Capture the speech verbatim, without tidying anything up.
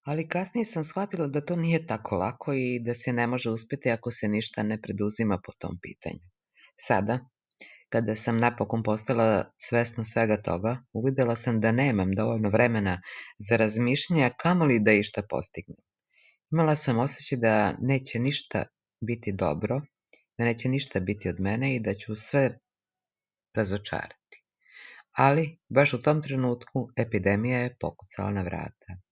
Ali kasnije sam shvatila da to nije tako lako i da se ne može uspeti ako se ništa ne preduzima po tom pitanju. Sada, kada sam napokon postala svesna svega toga, uvidela sam da nemam dovoljno vremena za razmišljanje, a kamoli da išta postignem. Imala sam osjećaj da neće ništa biti dobro, da neće ništa biti od mene i da ću sve razočarati. Ali, baš u tom trenutku, epidemija je pokucala na vrata.